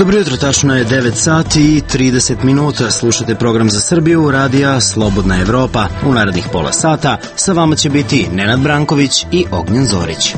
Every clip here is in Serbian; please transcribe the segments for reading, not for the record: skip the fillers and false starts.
Dobro jutro, tačno je 9 sati i 30 minuta. Slušate program za Srbiju, radija Slobodna Evropa. U narednih pola sata sa vama će biti Nenad Branković i Ognjen Zorić.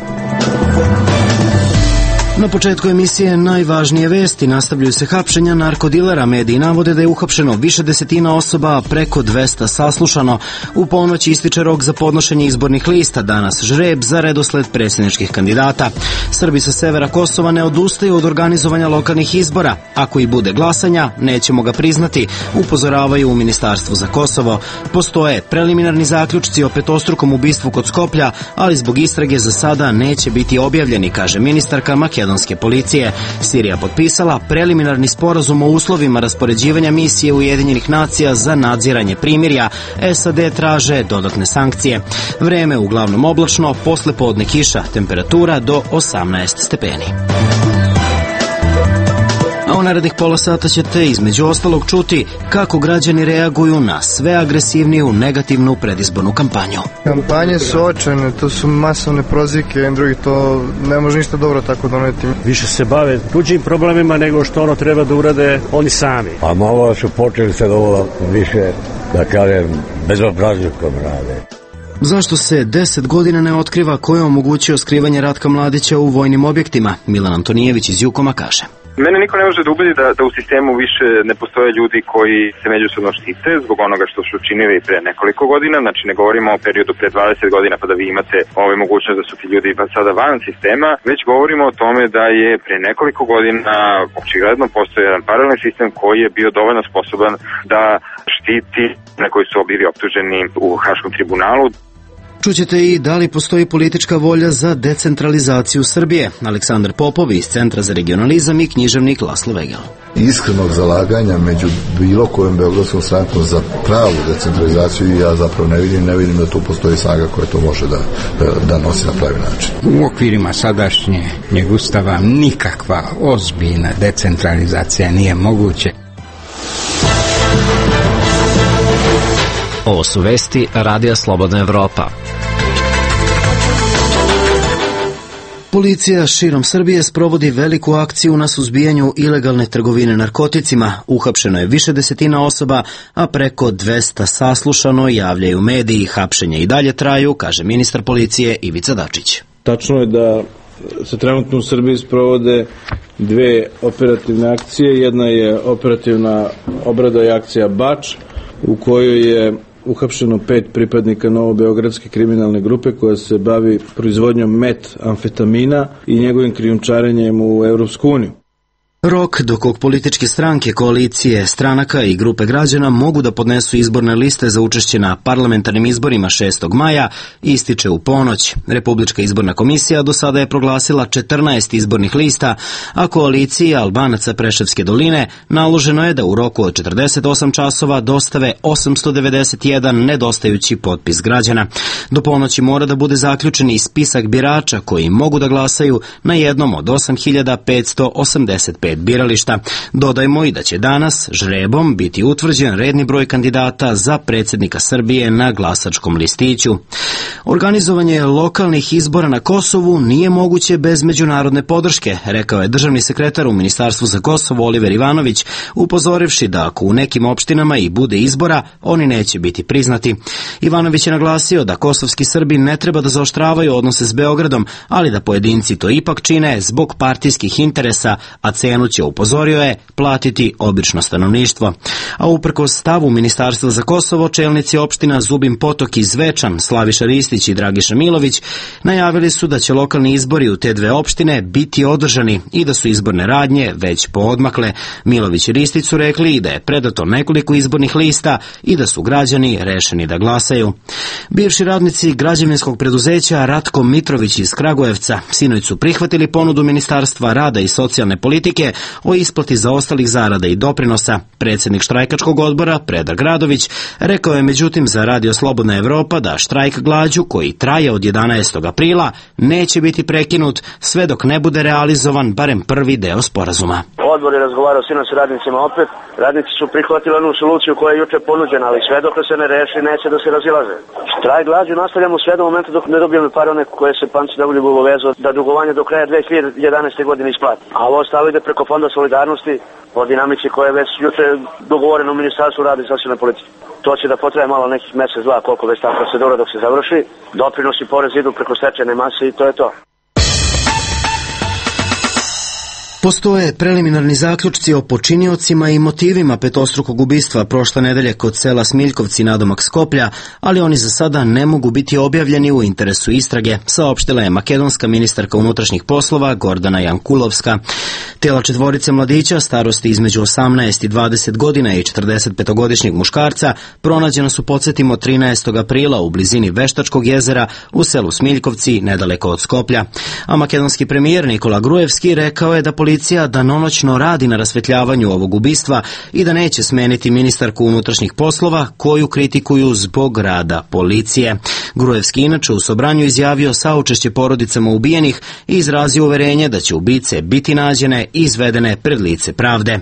Na početku emisije najvažnije vesti. Nastavljaju se hapšenja narkodilera. Mediji navode da je uhapšeno više desetina osoba, preko 200 saslušano. U ponoć ističe rok za podnošenje izbornih lista. Danas žreb za redosled predsjedničkih kandidata. Srbi sa severa Kosova ne odustaju od organizovanja lokalnih izbora. Ako i bude glasanja, nećemo ga priznati, upozoravaju u Ministarstvu za Kosovo. Postoje preliminarni zaključci o petostrukom ubistvu kod Skoplja, ali zbog istrage za sada neće biti objavljeni, kaže ministarka makedonske policije. Sirija potpisala preliminarni sporazum o uslovima raspoređivanja misije Ujedinjenih nacija za nadziranje primirja. SAD traže dodatne sankcije. Vreme uglavnom oblačno, posle podne kiša, temperatura do 18 stepeni. A u narednih pola sata ćete između ostalog čuti kako građani reaguju na sve agresivniju negativnu predizbornu kampanju. Kampanje su očajne, to su masovne prozivke, jedan drugi, to ne može ništa dobro tako doneti. Više se bave tuđim problemima nego što ono treba da urade oni sami. A malo su počeli se ovo više, da kažem, bezobrazlukom rade. Zašto se 10 godina ne otkriva ko je omogućio skrivanje Ratka Mladića u vojnim objektima? Milan Antonijević iz Jukoma kaže. Mene niko ne može da ubedi da u sistemu više ne postoje ljudi koji se međusobno štite zbog onoga što su činili pre nekoliko godina, znači ne govorimo o periodu pre 20 godina pa da vi imate mogućnost da su ti ljudi pa sada van sistema, već govorimo o tome da je pre nekoliko godina očigledno postoji jedan paralelni sistem koji je bio dovoljno sposoban da štiti na koji su bili optuženi u Haškom tribunalu. Čućete i da li postoji politička volja za decentralizaciju Srbije. Aleksandar Popov iz Centra za regionalizam i književnik Laslo Vegel. Iskrenog zalaganja među bilo kojom beogradskom strankom za pravu decentralizaciju ja zapravo ne vidim da tu postoji snaga koja to može da nosi na pravi način. U okvirima sadašnjeg ustava nikakva ozbiljna decentralizacija nije moguće. Ovo su vesti Radija Slobodna Evropa. Policija širom Srbije sprovodi veliku akciju na suzbijanju ilegalne trgovine narkoticima. Uhapšeno je više desetina osoba, a preko 200 saslušano, javljaju mediji. Hapšenje i dalje traju, kaže ministar policije Ivica Dačić. Tačno je da se trenutno u Srbiji sprovode dve operativne akcije. Jedna je operativna obrada i akcija Bač, u kojoj je uhapšeno 5 pripadnika novobeogradske kriminalne grupe koja se bavi proizvodnjom metamfetamina i njegovim krijumčarenjem u Evropsku uniju. Rok do kog političke stranke, koalicije, stranaka i grupe građana mogu da podnesu izborne liste za učešće na parlamentarnim izborima 6. maja ističe u ponoć. Republička izborna komisija do sada je proglasila 14 izbornih lista, a koaliciji Albanaca Preševske doline naloženo je da u roku od 48 časova dostave 891 nedostajući potpis građana. Do ponoći mora da bude zaključen i spisak birača koji mogu da glasaju na jednom od 8585 birališta. Dodajmo i da će danas žrebom biti utvrđen redni broj kandidata za predsjednika Srbije na glasačkom listiću. Organizovanje lokalnih izbora na Kosovu nije moguće bez međunarodne podrške, rekao je državni sekretar u Ministarstvu za Kosovo Oliver Ivanović, upozorivši da ako u nekim opštinama i bude izbora, oni neće biti priznati. Ivanović je naglasio da kosovski Srbi ne treba da zaoštravaju odnose s Beogradom, ali da pojedinci to ipak čine zbog partijskih interesa, a cenu će, upozorio je, platiti obično stanovništvo. A uprkos stavu Ministarstva za Kosovo, čelnici opština Zubin Potok i Zvečan, Slaviša Ristić i Dragiša Milović, najavili su da će lokalni izbori u te dve opštine biti održani i da su izborne radnje već poodmakle. Milović i Ristić su rekli da je predato nekoliko izbornih lista i da su građani rešeni da glasaju. Bivši radnici građevinskog preduzeća Ratko Mitrović iz Kragujevca sinoć su prihvatili ponudu Ministarstva rada i socijalne politike o isplati zaostalih zarada i doprinosa. Predsjednik štrajkačkog odbora Predrag Radović rekao je međutim za Radio Slobodna Evropa da štrajk glađu koji traje od 11. aprila neće biti prekinut sve dok ne bude realizovan barem prvi deo sporazuma. Odbor je razgovarao sinoć s radnicima opet. Radnici su prihvatili onu soluciju koja je juče ponuđena, ali sve dok se ne reši neće da se razilaze. Štrajk glađu nastavljamo sve do momenta dok ne dobijemo pare one koje se Panci Davoljubu obavezao da dugovanje do kraja 2011. godine isplati. A ovo ostalo ide preko preko Fonda solidarnosti po dinamici koja je već juče dogovorena u Ministarstvu rada i socijalne politike. To će da potraje malo nekih mesec, dva, koliko već ta procedura dok se završi. Doprinosi i porez idu preko stečajne mase i to je to. Postoje preliminarni zaključci o počiniocima i motivima petostrukog ubistva prošle nedelje kod sela Smiljkovci nadomak Skoplja, ali oni za sada ne mogu biti objavljeni u interesu istrage, saopštila je makedonska ministarka unutrašnjih poslova Gordana Jankulovska. Tela četvorice mladića starosti između 18 i 20 godina i 45-godišnjeg muškarca pronađena su, podsjetimo, 13. aprila u blizini Veštačkog jezera u selu Smiljkovci nedaleko od Skoplja. A makedonski premijer Nikola Grujevski rekao je da policija danonoćno radi na rasvetljavanju ovog ubistva i da neće smeniti ministarku unutrašnjih poslova koju kritikuju zbog rada policije. Grujevski inače u Sobranju izjavio saučešće porodicama ubijenih i izrazio uverenje da će ubice biti nađene i izvedene pred lice pravde.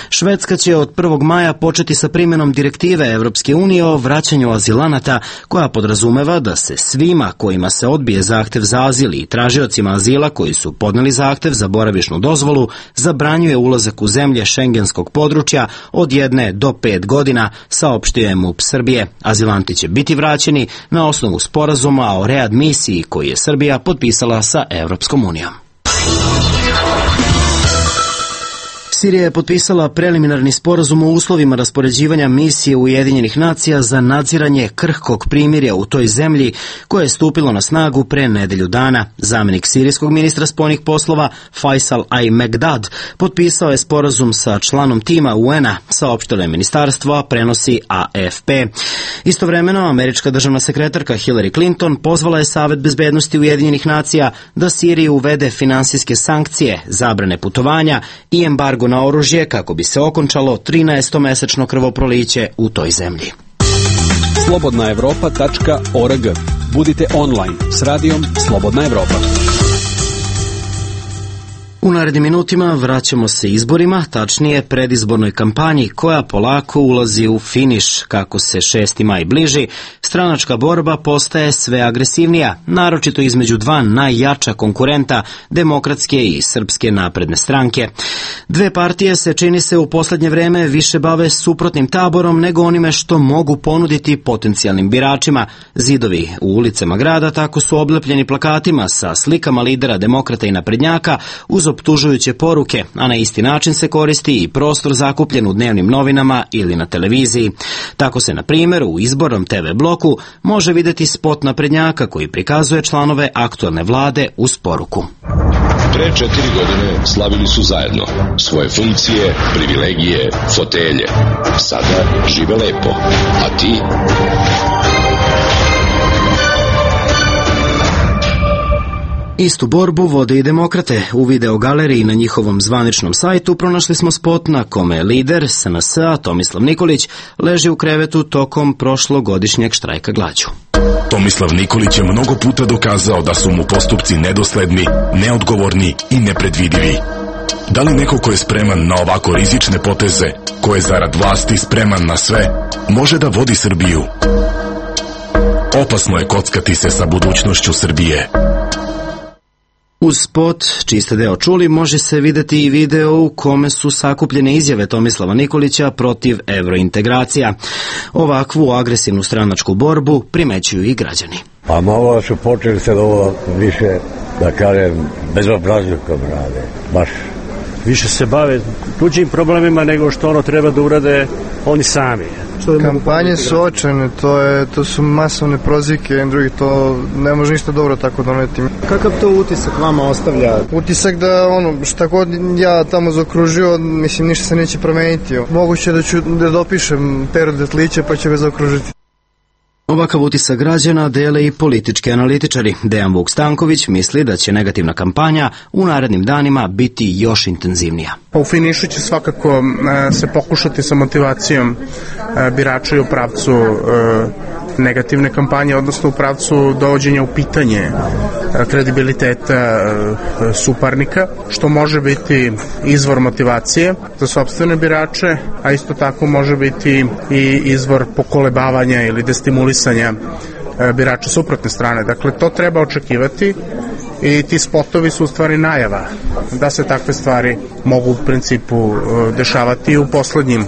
Švedska će od 1. maja početi sa primjenom direktive Evropske unije o vraćanju azilanata, koja podrazumeva da se svima kojima se odbije zahtev za azil i tražiocima azila koji su podneli zahtev za boravišnu dozvolu zabranjuje ulazak u zemlje šengenskog područja od 1 do 5 godina, saopštio je MUP Srbije. Azilanti će biti vraćeni na osnovu sporazuma o readmisiji koji je Srbija potpisala sa Evropskom unijom. Sirija je potpisala preliminarni sporazum o uslovima raspoređivanja misije Ujedinjenih nacija za nadziranje krhkog primirja u toj zemlji, koje je stupilo na snagu pre nedelju dana. Zamenik sirijskog ministra spoljnih poslova Faisal Al-Megdad potpisao je sporazum sa članom tima UN-a, saopštilo je ministarstvo, a prenosi AFP. Istovremeno, američka državna sekretarka Hillary Clinton pozvala je Savet bezbednosti Ujedinjenih nacija da Siriji uvede finansijske sankcije, zabrane putovanja i embargo na oružje kako bi se okončalo 13-mesečno krvoproliće u toj zemlji. Slobodnaevropa.org. Budite online s radijom Slobodna Evropa. U narednim minutima vraćamo se izborima, tačnije predizbornoj kampanji koja polako ulazi u finiš. Kako se 6. maj bliži, stranačka borba postaje sve agresivnija, naročito između dva najjača konkurenta, Demokratske i Srpske napredne stranke. Dve partije se, čini se, u poslednje vreme više bave suprotnim taborom nego onime što mogu ponuditi potencijalnim biračima. Zidovi u ulicama grada tako su oblepljeni plakatima sa slikama lidera Demokrata i naprednjaka uz optužujuće poruke, a na isti način se koristi i prostor zakupljen u dnevnim novinama ili na televiziji. Tako se, na primjer, u izbornom TV bloku može videti spot naprednjaka koji prikazuje članove aktuelne vlade uz poruku. Pre 4 godine slavili su zajedno svoje funkcije, privilegije, fotelje. Sada žive lepo, a ti? Istu borbu vode i demokrate. U videogaleriji na njihovom zvaničnom sajtu pronašli smo spot na kome lider SNS-a Tomislav Nikolić leži u krevetu tokom prošlogodišnjeg štrajka glađu. Tomislav Nikolić je mnogo puta dokazao da su mu postupci nedosledni, neodgovorni i nepredvidivi. Da li neko ko je spreman na ovako rizične poteze, ko je zarad vlasti spreman na sve, može da vodi Srbiju? Opasno je kockati se sa budućnošću Srbije. Uz spot, čiji ste deo čuli, može se videti i video u kome su sakupljene izjave Tomislava Nikolića protiv evrointegracija. Ovakvu agresivnu stranačku borbu primećuju i građani. Pa malo su počeli se ovo više, da kažem, bezobrazlukom rade, baš. Više se bave tuđim problemima nego što ono treba da urade oni sami. Kampanje su očajne, to su masovne prozivke, drugi, to ne može ništa dobro tako doneti. Kakav to utisak vama ostavlja? Utisak da šta god ja tamo zaokružio, mislim, ništa se neće promeniti. Moguće da ću da dopišem Pero Detlića pa će ga zaokružiti. Ovakav utisak građana dele i politički analitičari. Dejan Vuk Stanković misli da će negativna kampanja u narednim danima biti još intenzivnija. U finišu će svakako se pokušati sa motivacijom birača i u pravcu negativne kampanje, odnosno u pravcu dovođenja u pitanje kredibiliteta suparnika, što može biti izvor motivacije za sopstvene birače, a isto tako može biti i izvor pokolebavanja ili destimulisanja birača suprotne strane. Dakle, to treba očekivati i ti spotovi su u stvari najava da se takve stvari mogu u principu dešavati u poslednjim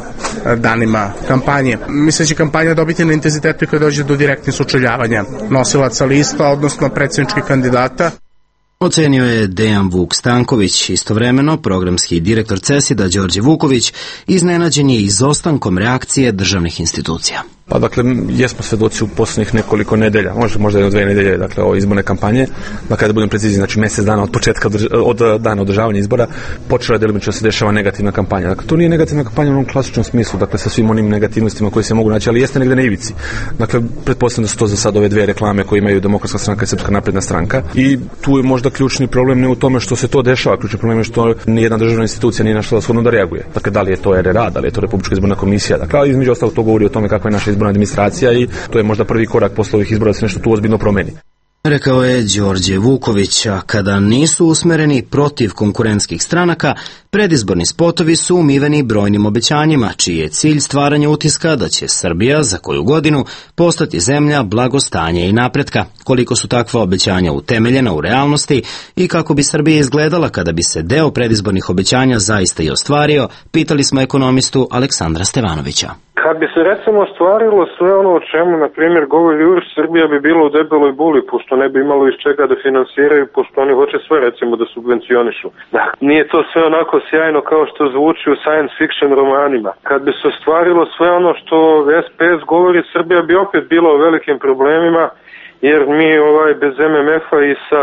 danima kampanje. Mislim da će kampanja dobiti na intenzitetu kada dođe do direktnih sučeljavanja nosilaca lista, odnosno predsjedničkih kandidata. Ocenio je Dejan Vuk Stanković, istovremeno programski direktor CESID-a Đorđe Vuković iznenađen je izostankom reakcije državnih institucija. Pa dakle, jesmo svedoci u poslednjih nekoliko nedelja, možda 1-2 nedelje, dakle, ove izborne kampanje, da kada budem precizni, znači mjesec dana od početka, od dana održavanja izbora, počela je delimično da se dešava negativna kampanja. Dakle, to nije negativna kampanja u onom klasičnom smislu, dakle, sa svim onim negativnostima koji se mogu naći, ali jeste negde na ivici. Dakle, pretpostavljam da su to za sad ove 2 reklame koje imaju Demokratska stranka i Srpska napredna stranka. I tu je možda ključni problem ne u tome što se to dešava, ključni problem je što nijedna državna institucija nije našla shodno da reaguje. Dakle, da li je to RRA, da li je to Republička izborna komisija. Dakle, između ostalog to govori o tome kakva je naša izborna administracija i to je možda prvi korak posle ovih izbora da se nešto tu ozbiljno promeni. Rekao je Đorđe Vuković, a kada nisu usmereni protiv konkurentskih stranaka, predizborni spotovi su umiveni brojnim obećanjima, čiji je cilj stvaranje utiska da će Srbija za koju godinu postati zemlja blagostanja i napretka. Koliko su takva obećanja utemeljena u realnosti i kako bi Srbija izgledala kada bi se deo predizbornih obećanja zaista i ostvario, pitali smo ekonomistu Aleksandra Stevanovića. Kad bi se recimo ostvarilo sve ono o čemu, na primjer, govori URS, Srbija bi bila u debeloj buli, pošto ne bi imalo iz čega da finansiraju, pošto oni hoće sve recimo da subvencionišu. Da, nije to sve onako sjajno kao što zvuči u science fiction romanima. Kad bi se ostvarilo sve ono što SPS govori, Srbija bi opet bila u velikim problemima, jer mi bez MMF-a i sa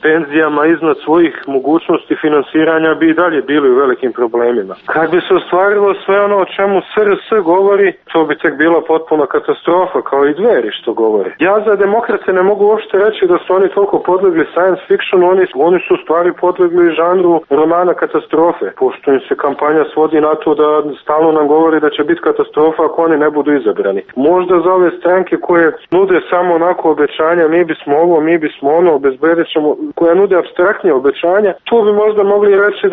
penzijama iznad svojih mogućnosti finansiranja bi i dalje bili u velikim problemima. Kad bi se ostvarilo sve ono o čemu SRS govori, to bi tek bila potpuna katastrofa, kao i Dveri što govore. Ja za demokrate ne mogu uopšte reći da su oni toliko podlegli science fictionu, oni su u stvari podlegli žanru romana katastrofe, pošto im se kampanja svodi na to da stalno nam govori da će biti katastrofa ako oni ne budu izabrani. Možda za ove stranke koje nude samo onako obećanja, mi bismo ovo, mi bismo ono, obezbedit ćemo, koja nude apstraktnije obećanja, tu bi možda mogli reći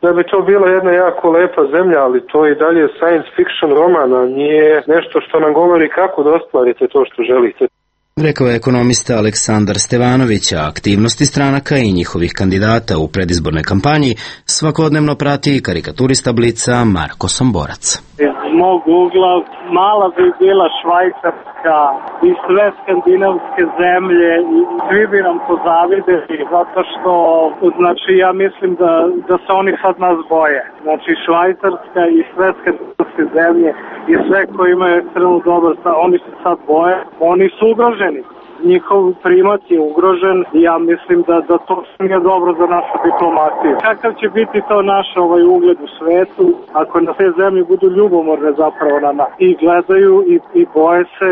da bi to bila jedna jako lepa zemlja, ali to i dalje science fiction romana, nije nešto što nam govori kako da ostvarite to što želite. Rekao je ekonomista Aleksandar Stevanović, a aktivnosti stranaka i njihovih kandidata u predizbornoj kampanji svakodnevno prati karikaturista Blica Marko Somborac. Iz mog ugla mala bi bila Švajcarska i sve skandinavske zemlje i svi bi nam pozavideli zato što, znači, ja mislim da se oni sad nas boje. Znači, Švajcarska i sve skandinavske zemlje i sve koji imaju ekstremno dobar, oni se sad boje, oni su ugroženi. Njihov primat je ugrožen i ja mislim da to nije dobro za našu diplomaciju. Kakav će biti to naš ugled u svetu ako na te zemlje budu ljubomorne zapravo na nas i gledaju i boje se,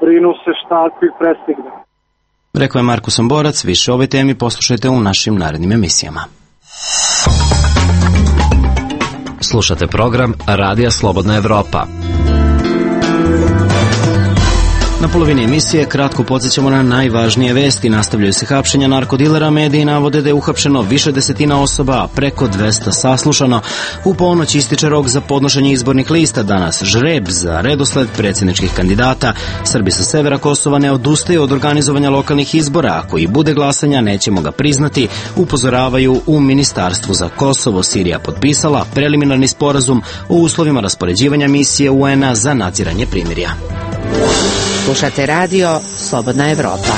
brinu se šta ako ih prestigne. Rekao je Marko Somborac, više o ovoj temi poslušajte u našim narednim emisijama. Slušate program Radija Slobodna Evropa. Na polovini emisije kratko podsjećamo na najvažnije vesti. Nastavljaju se hapšenja narkodilera, mediji navode da je uhapšeno više desetina osoba, a preko 200 saslušano. U ponoć ističe rok za podnošenje izbornih lista, danas žreb za redosled predsjedničkih kandidata. Srbi sa severa Kosova ne odustaju od organizovanja lokalnih izbora, ako i bude glasanja nećemo ga priznati, upozoravaju u Ministarstvu za Kosovo. Sirija potpisala preliminarni sporazum o uslovima raspoređivanja misije UN-a za nadziranje primirja. Slušate radio Slobodna Evropa.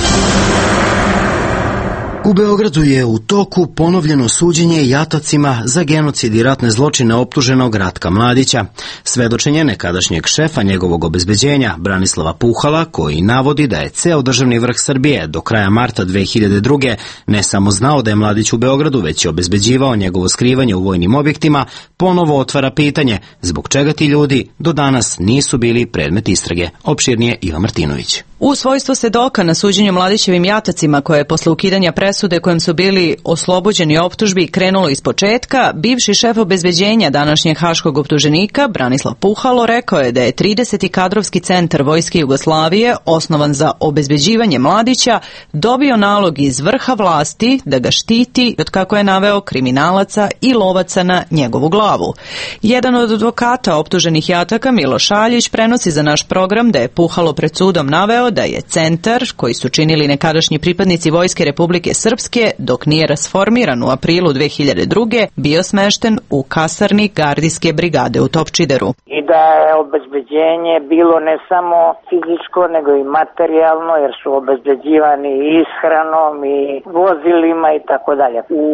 U Beogradu je u toku ponovljeno suđenje jatacima za genocid i ratne zločine optuženog Ratka Mladića. Svedočenje nekadašnjeg šefa njegovog obezbeđenja, Branislava Puhala, koji navodi da je ceo državni vrh Srbije do kraja marta 2002. ne samo znao da je Mladić u Beogradu, već je obezbeđivao njegovo skrivanje u vojnim objektima, ponovo otvara pitanje zbog čega ti ljudi do danas nisu bili predmet istrage. Opširnije Iva Martinović. U svojstvu svedoka na suđenju Mladićevim jatacima, koje je posle ukidanja presude kojim su bili oslobođeni optužbi krenulo iz početka, bivši šef obezbeđenja današnjeg haškog optuženika Branislav Puhalo rekao je da je 30. kadrovski centar Vojske Jugoslavije, osnovan za obezbeđivanje Mladića, dobio nalog iz vrha vlasti da ga štiti od, kako je naveo, kriminalaca i lovaca na njegovu glavu. Jedan od advokata optuženih jataka, Miloš Šaljić, prenosi za naš program da je Puhalo pred sudom naveo da je centar, koji su činili nekadašnji pripadnici Vojske Republike Srpske, dok nije rasformiran u aprilu 2002. bio smešten u kasarni gardijske brigade u Topčideru. I da je obezbeđenje bilo ne samo fizičko, nego i materijalno, jer su obezbeđivani i ishranom i vozilima i tako dalje. U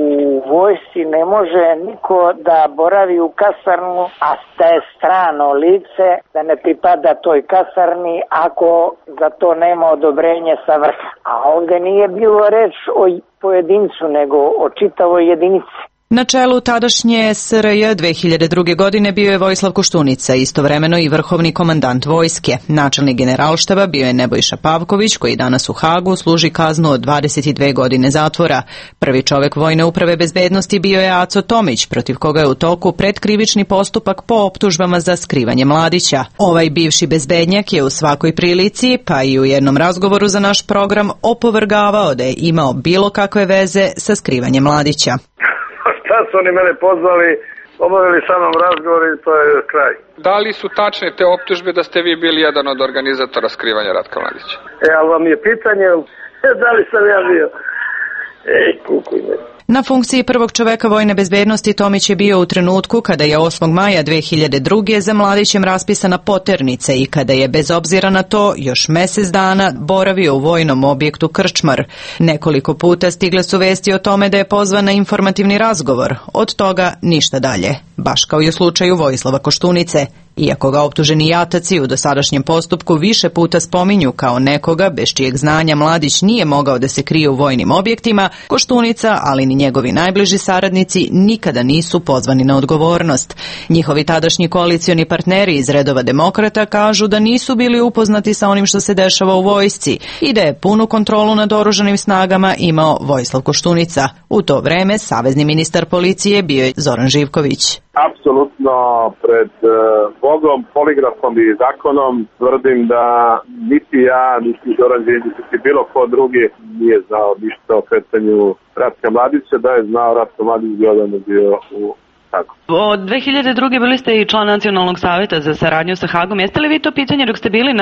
vojsci ne može niko da boravi u kasarnu, a da je strano lice, da ne pripada toj kasarni ako za to nema odobrenje sa vrha. A ovde nije bilo reč o pojedincu, nego o čitavoj jedinici. Na čelu tadašnje SRJ 2002. godine bio je Vojislav Koštunica, istovremeno i vrhovni komandant vojske. Načelnik generalštaba bio je Nebojša Pavković, koji danas u Hagu služi kaznu od 22 godine zatvora. Prvi čovek Vojne uprave bezbednosti bio je Aco Tomić, protiv koga je u toku predkrivični postupak po optužbama za skrivanje mladića. Ovaj bivši bezbednjak je u svakoj prilici, pa i u jednom razgovoru za naš program, opovrgavao da je imao bilo kakve veze sa skrivanjem mladića. Sad su oni mene pozvali, obavili sa mnom razgovor i to je kraj. Da li su tačne te optužbe da ste vi bili jedan od organizatora skrivanja Ratka Mladića? Ali vam je pitanje da li sam ja bio? Kukuj me. Na funkciji prvog čoveka Vojne bezbednosti Tomić je bio u trenutku kada je 8. maja 2002. za Mladićem raspisana poternica i kada je, bez obzira na to, još mesec dana boravio u vojnom objektu Krčmar. Nekoliko puta stigle su vesti o tome da je pozvan na informativni razgovor. Od toga ništa dalje. Baš kao i u slučaju Vojislava Koštunice. Iako ga optuženi jataci u dosadašnjem postupku više puta spominju kao nekoga bez čijeg znanja Mladić nije mogao da se krije u vojnim objektima, Koštunica, ali ni njegovi najbliži saradnici nikada nisu pozvani na odgovornost. Njihovi tadašnji koalicioni partneri iz redova demokrata kažu da nisu bili upoznati sa onim što se dešava u vojsci i da je punu kontrolu nad oružanim snagama imao Vojislav Koštunica. U to vreme savezni ministar policije bio je Zoran Živković. Apsolutno pred Bogom, poligrafom i zakonom tvrdim da niti ja, niti Zoran Đinđić, niti bilo ko drugi nije znao ništa o kretanju Ratka Mladića. Da je znao Ratko Mladić bi odavno bio u Hagu. Od 2002. bili ste i član Nacionalnog saveta za saradnju sa Hagom. Jeste li vi to pitanje dok ste bili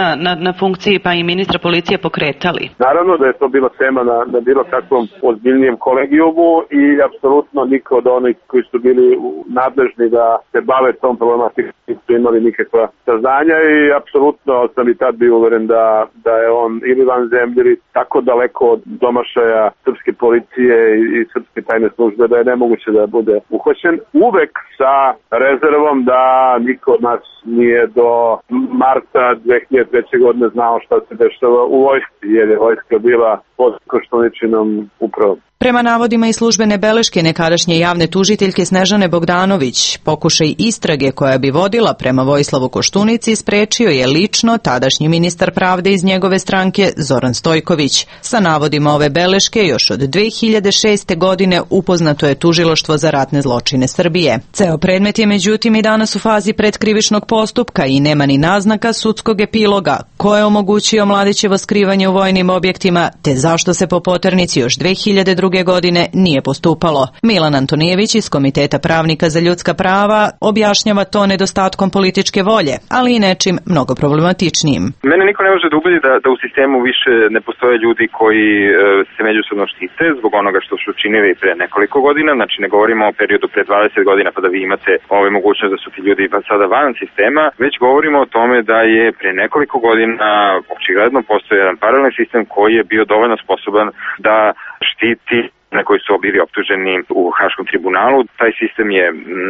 na funkciji pa i ministra policije pokretali? Naravno da je to bila tema na bilo kakvom ozbiljnijem kolegijumu i apsolutno niko od onih koji su bili nadležni da se bave tom problematikom nisu imali nikakva saznanja i apsolutno sam i tad bio uveren da je on ili van zemlje ili tako daleko od domašaja srpske policije i srpske tajne službe da je nemoguće da bude uhvaćen. Uvek sa rezervom da niko od nas nije do marta 2003. godine znao šta se dešava u vojsci, jer je vojska bila pod Koštuničinom upravom. Prema navodima i službene beleške nekadašnje javne tužiteljke Snežane Bogdanović, pokušaj istrage koja bi vodila prema Vojislavu Koštunici sprečio je lično tadašnji ministar pravde iz njegove stranke Zoran Stojković. Sa navodima ove beleške još od 2006. godine upoznato je Tužilaštvo za ratne zločine Srbije. Ceo predmet je međutim i danas u fazi predkrivičnog postupka i nema ni naznaka sudskog epiloga ko je omogućio Mladićevo skrivanje u vojnim objektima te zašto se po poternici još 2002. godine nije postupalo. Milan Antonijević iz Komiteta pravnika za ljudska prava objašnjava to nedostatkom političke volje, ali i nečim mnogo problematičnijim. Mene niko ne može da ubedi da u sistemu više ne postoje ljudi koji se međusobno štite zbog onoga što su činili pre nekoliko godina, znači ne govorimo o periodu pre 20 godina pa da vi imate mogućnost da su ti ljudi pa sada van sistema, već govorimo o tome da je pre nekoliko godina očigledno postoji jedan paralelni sistem koji je bio dovoljno sposoban da štiti na koji su bili optuženi u Haškom tribunalu. Taj sistem je,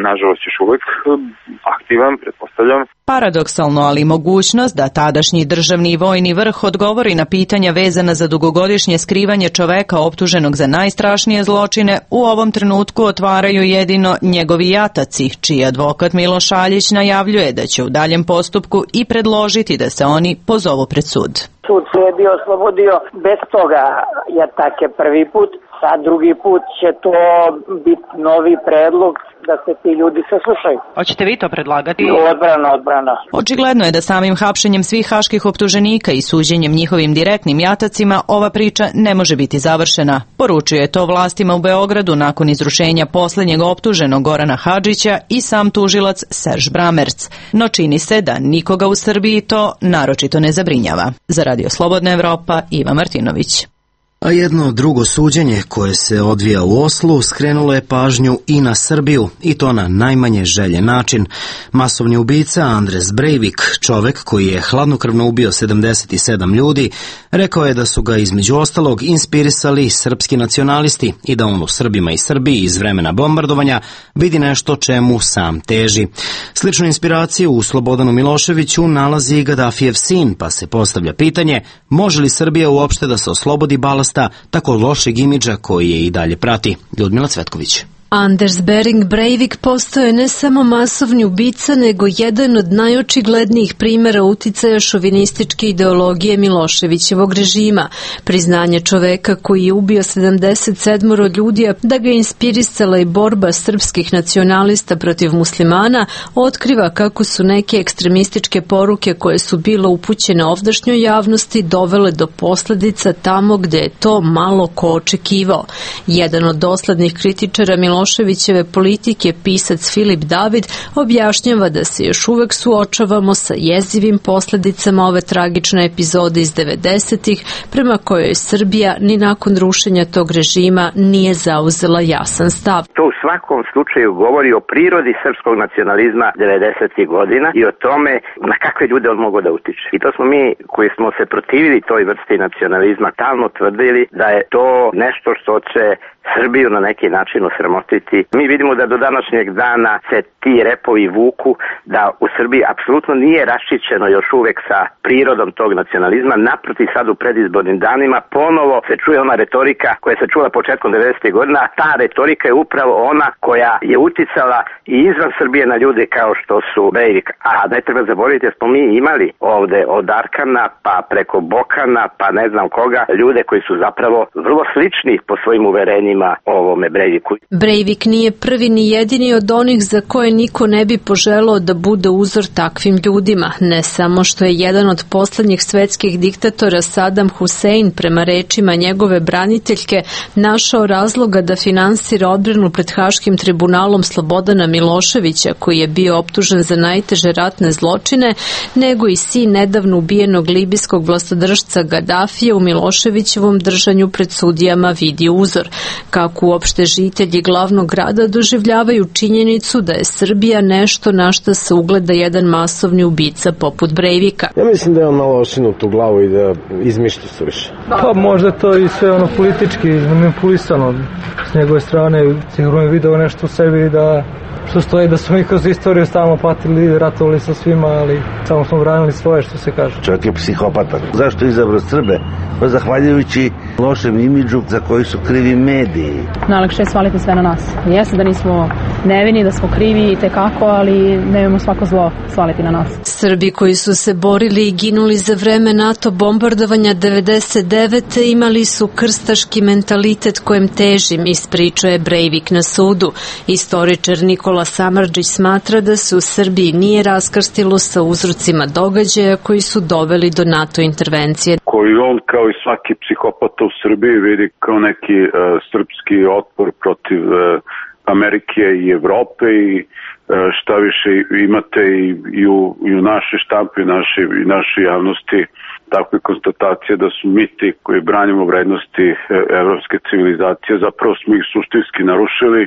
nažalost, još uvek aktivan, pretpostavljam. Paradoksalno, ali mogućnost da tadašnji državni i vojni vrh odgovori na pitanja vezana za dugogodišnje skrivanje čoveka optuženog za najstrašnije zločine u ovom trenutku otvaraju jedino njegovi jataci, čiji advokat Miloš Šaljić najavljuje da će u daljem postupku i predložiti da se oni pozovu pred sud. Sud se je bio oslobodio bez toga jatake prvi put, a drugi put će to biti novi predlog da se ti ljudi saslušaju. Hoćete vi to predlagati? Odbrana. Očigledno je da samim hapšenjem svih haških optuženika i suđenjem njihovim direktnim jatacima ova priča ne može biti završena. Poručio je to vlastima u Beogradu nakon izrušenja poslednjeg optuženog Gorana Hadžića i sam tužilac Serž Bramerc. No čini se da nikoga u Srbiji to naročito ne zabrinjava. Za Radio Slobodna Evropa, Iva Martinović. A jedno drugo suđenje koje se odvija u Oslu skrenulo je pažnju i na Srbiju, i to na najmanje željen način. Masovni ubica Andres Breivik, čovek koji je hladnokrvno ubio 77 ljudi, rekao je da su ga između ostalog inspirisali srpski nacionalisti i da on u Srbima i Srbiji iz vremena bombardovanja vidi nešto čemu sam teži. Sličnu inspiraciju u Slobodanu Miloševiću nalazi i Gaddafijev sin, pa se postavlja pitanje može li Srbija uopšte da se oslobodi balasta tako lošeg imidža koji je i dalje prati. Ljudmila Cvetković. Anders Behring Breivik postao je ne samo masovni ubica, nego jedan od najočiglednijih primjera uticaja šovinističke ideologije Miloševićevog režima. Priznanje čoveka koji je ubio 77 ljudi, da ga je inspirisala i borba srpskih nacionalista protiv muslimana, otkriva kako su neke ekstremističke poruke koje su bile upućene ovdašnjoj javnosti dovele do posljedica tamo gde je to malo ko očekivao. Jedan od doslednih kritičara Miloševićeve politike, pisac Filip David, objašnjava da se još uvek suočavamo sa jezivim posljedicama ove tragične epizode iz 90-ih, prema kojoj Srbija ni nakon rušenja tog režima nije zauzela jasan stav. To u svakom slučaju govori o prirodi srpskog nacionalizma 90-ih godina i o tome na kakve ljude on mogo da utiče. I to smo mi koji smo se protivili toj vrsti nacionalizma stalno tvrdili da je to nešto što će Srbiju na neki način osramotiti. Mi vidimo da do današnjeg dana se ti repovi vuku, da u Srbiji apsolutno nije raščićeno još uvek sa prirodom tog nacionalizma. Naprotiv, sad u predizbornim danima ponovo se čuje ona retorika koja se čula početkom 90. godina, a ta retorika je upravo ona koja je uticala i izvan Srbije na ljude kao što su Breivik. A ne treba zaboraviti da smo mi imali ovde od Arkana pa preko Bokana pa ne znam koga, ljude koji su zapravo vrlo slični po svojim uverenjima ovome Breiviku. Breivik nije prvi ni jedini od onih za koje niko ne bi poželao da bude uzor takvim ljudima. Ne samo što je jedan od poslednjih svetskih diktatora Saddam Hussein, prema rečima njegove braniteljke, našao razloga da finansira odbranu pred Haškim tribunalom Slobodana Miloševića, koji je bio optužen za najteže ratne zločine, nego i sin nedavno ubijenog libijskog vlastodržca Gaddafija u Miloševićevom držanju pred sudijama vidi uzor. Kako uopšte žitelji glavnog grada doživljavaju činjenicu da je Srbija nešto na što se ugleda jedan masovni ubica poput Breivika. Ja mislim da je on malo osinut u glavu i da izmišlja se više. Pa možda to i sve manipulisano s njegove strane, sigurno je video nešto u sebi da što stoji da smo mi kroz istoriju stalno patili, ratovali sa svima, ali samo smo branili svoje, što se kaže. Čovjek je psihopatan. Zašto je izabrao Srbe? Pa zahvaljujući lošem imidžu za koji su krivi mediji. Najlakše je svaliti sve na nas. Jeste da nismo nevini, da smo krivi i tekako, ali nemojmo svako zlo svaliti na nas. Srbi koji su se borili i ginuli za vreme NATO bombardovanja 99. imali su krstaški mentalitet kojem težim, ispričao je Breivik na sudu. Istoričar Nikola Samardžić smatra da se u Srbiji nije raskrstilo sa uzrocima događaja koji su doveli do NATO intervencije. Koji on kao i svaki psihopata u Srbiji vidi kao neki srpski otpor protiv Amerike i Evrope i šta više imate i u našoj štampi i našoj javnosti takve konstatacije da su mi ti koji branimo vrednosti evropske civilizacije, zapravo smo ih suštinski narušili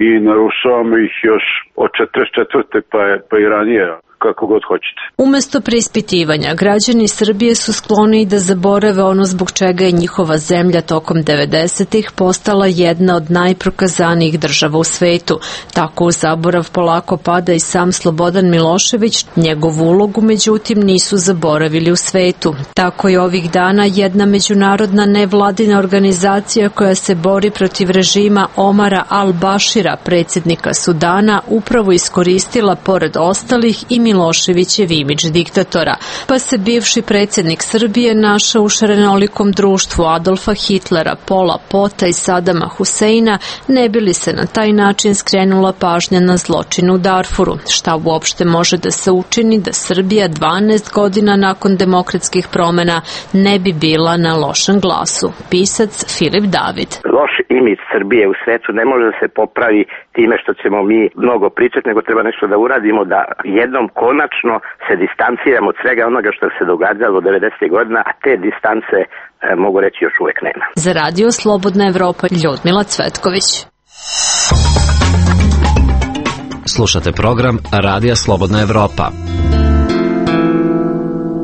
i narušavamo ih još od 44. pa i ranije, kako god hoćete. Umesto preispitivanja, građani Srbije su skloni da zaborave ono zbog čega je njihova zemlja tokom 90-ih postala jedna od najprokazanijih država u svetu. Tako u zaborav polako pada i sam Slobodan Milošević, njegovu ulogu međutim nisu zaboravili u svetu. Tako je ovih dana jedna međunarodna nevladina organizacija koja se bori protiv režima Omara al-Bašira, predsjednika Sudana, upravo iskoristila pored ostalih i Miloševićev imidž diktatora, pa se bivši predsjednik Srbije našao u šarenolikom društvu Adolfa Hitlera, Pola Pota i Sadama Huseina, ne bi li se na taj način skrenula pažnja na zločin u Darfuru. Šta uopšte može da se učini da Srbija 12 godina nakon demokratskih promjena ne bi bila na lošem glasu? Pisac Filip David. Loš imidž Srbije u svetu ne može da se popravi time što ćemo mi mnogo pričati, nego treba nešto da uradimo, da jednom konačno se distanciramo od svega onoga što se događalo 90. godina, a te distance, mogu reći, još uvek nema. Za Radio Slobodna Evropa, Ljudmila Cvetković. Slušate program Radija Slobodna Evropa.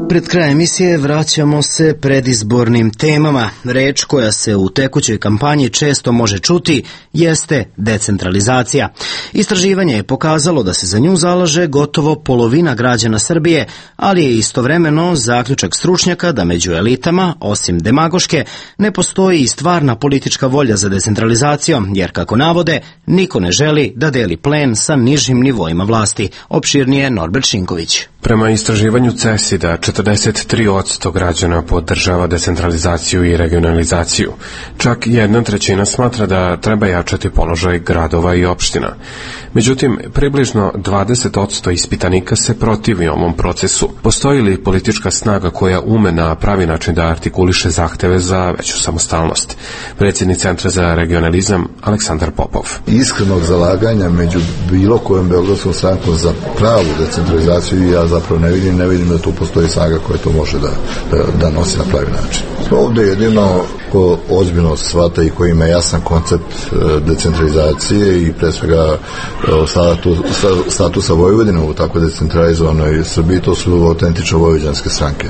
Pred krajem emisije vraćamo se predizbornim temama. Reč koja se u tekućoj kampanji često može čuti jeste decentralizacija. Istraživanje je pokazalo da se za nju zalaže gotovo polovina građana Srbije, ali je istovremeno zaključak stručnjaka da među elitama, osim demagoške, ne postoji i stvarna politička volja za decentralizacijom, jer kako navode, niko ne želi da deli plen sa nižim nivoima vlasti. Opširnije Norbert Šinković. Prema istraživanju CESID-a, 43% građana podržava decentralizaciju i regionalizaciju. Čak 1/3 smatra da treba jačati položaj gradova i opština. Međutim, približno 20% ispitanika se protivi ovom procesu. Postoji li politička snaga koja ume na pravi način da artikuliše zahteve za veću samostalnost? Predsjednik Centra za regionalizam Aleksandar Popov. Iskrenog zalaganja među bilo kojom beogradskom strankom za pravu decentralizaciju ja zapravo ne vidim da tu postoji snaga koja to može da nosi na pravi način. Ovdje jedino ko ozbiljno shvata i koji ima jasan koncept decentralizacije i pre svega statusa Vojvodine u tako decentralizovanoj Srbiji, to su autentične vojvođanske stranke.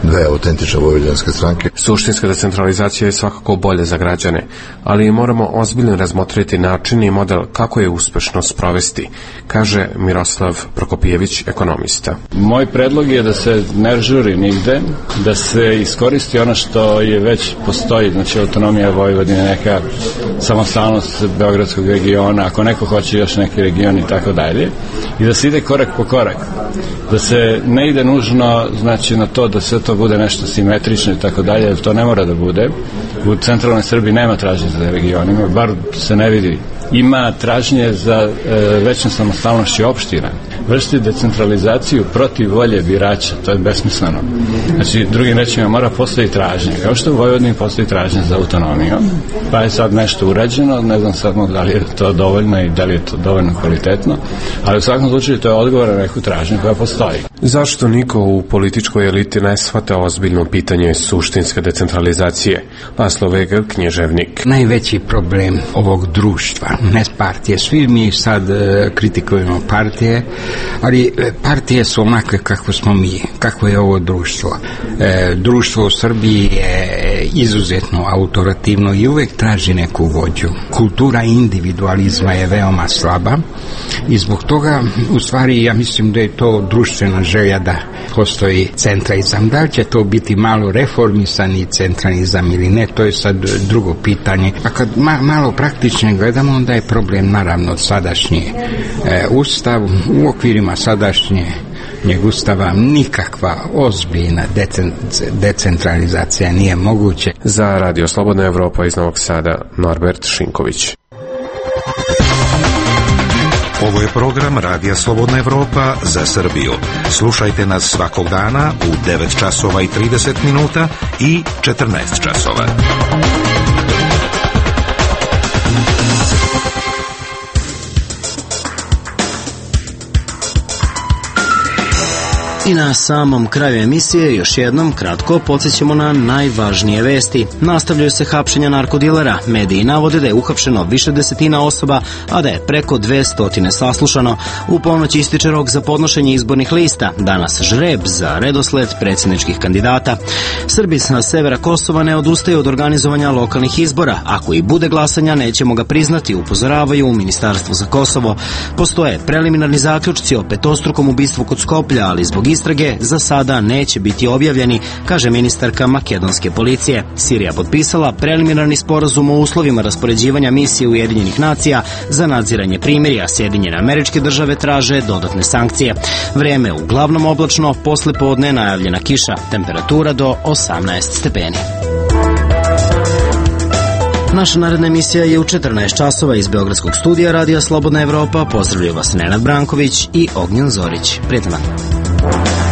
Dve autentične vojvođanske stranke. Suštinska decentralizacija je svakako bolje za građane, ali moramo ozbiljno razmotriti način i model kako je uspešno sprovesti, kaže Miroslav Prokopijević, ekonomista. Moj predlog je da se ne žuri nigde, da se iskoristi ono što je već postoji, znači autonomija Vojvodine, neka samostalnost Beogradskog regiona, ako neko hoće još neki region i tako dalje, i da se ide korak po korak, da se ne ide nužno, znači, na to da sve to bude nešto simetrično i tako dalje, jer to ne mora da bude. U centralnoj Srbiji nema tražnje za regionima, bar se ne vidi. Ima tražnje za većom samostalnošću opština. Vršiti decentralizaciju protiv volje birača, to je besmisleno. Znači, drugim rečima, mora postoji tražnje. Kao što u Vojvodini postoji tražnje za autonomiju, pa je sad nešto urađeno, ne znam sad da li je to dovoljno i da li je to dovoljno kvalitetno, ali u svakom slučaju to je odgovor na neku tražnju koja postoji. Zašto niko u političkoj eliti ne shvata ozbiljno pitanje suštinske decentralizacije? Laslo Veger, književnik. Najveći problem ovog društva, ne partije, svi mi sad kritikujemo partije, ali partije su onakve kako smo mi, kako je ovo društvo. Društvo u Srbiji je izuzetno autoritativno i uvek traži neku vođu. Kultura individualizma je veoma slaba i zbog toga, u stvari, ja mislim da je to društvena želja da postoji centralizam. Da li će to biti malo reformisani centralizam ili ne, to je sad drugo pitanje. A kad malo praktično gledamo, onda je problem naravno sadašnji ustav. U okvirima sadašnjeg ustava nikakva ozbiljna decentralizacija nije moguće. Za Radio Slobodna Evropa iz Novog Sada, Norbert Šinković. Ovo je program Radija Slobodna Evropa za Srbiju. Slušajte nas svakog dana u 9 časova i 30 minuta i 14 časova. I na samom kraju emisije još jednom kratko podsjećamo na najvažnije vesti. Nastavljaju se hapšenja narkodilera. Mediji navode da je uhapšeno više desetina osoba, a da je preko 200 saslušano. U ponoć ističe rok za podnošenje izbornih lista. Danas žreb za redosled predsjedničkih kandidata. Srbi sa severa Kosova ne odustaju od organizovanja lokalnih izbora. Ako i bude glasanja, nećemo ga priznati, upozoravaju u Ministarstvu za Kosovo. Postoje preliminarni zaključci o petostrukom ubistvu kod Skoplja, ali zbog istrage za sada neće biti objavljeni, kaže ministarka makedonske policije. Sirija potpisala preliminarni sporazum o uslovima raspoređivanja misije Ujedinjenih nacija za nadziranje primirja. Sjedinjene Američke Države traže dodatne sankcije. Vreme uglavnom oblačno, posle podne najavljena kiša, temperatura do 18 stepeni. Naša naredna emisija je u 14 časova iz Beogradskog studija Radija Slobodna Evropa. Pozdravljaju vas Nenad Branković i Ognjen Zorić. Prijetan dan.